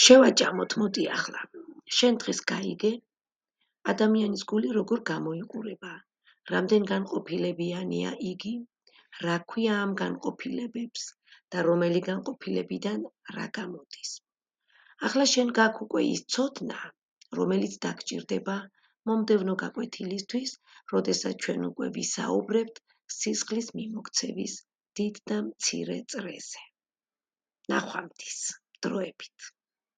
შევაჭამოთ, მოდი ახლა. შენ დღეს გაიგე, ადამიანის გული როგორ გამოიყურება, რამდენ განყოფილებიანია იგი, რა ქვია ამ განყოფილებებს და რომელი განყოფილებიდან რა გამოდის. ახლა შენ გაქვს უკვე ის ცოდნა, რომელიც დაგჭირდება მომდევნო გაკვეთილისთვის, როდესაც ჩვენ უკვე ვისაუბრებთ სისხლის მიმოქცევის დიდ და მცირე წრეზე. ნახვამდის, დროებით.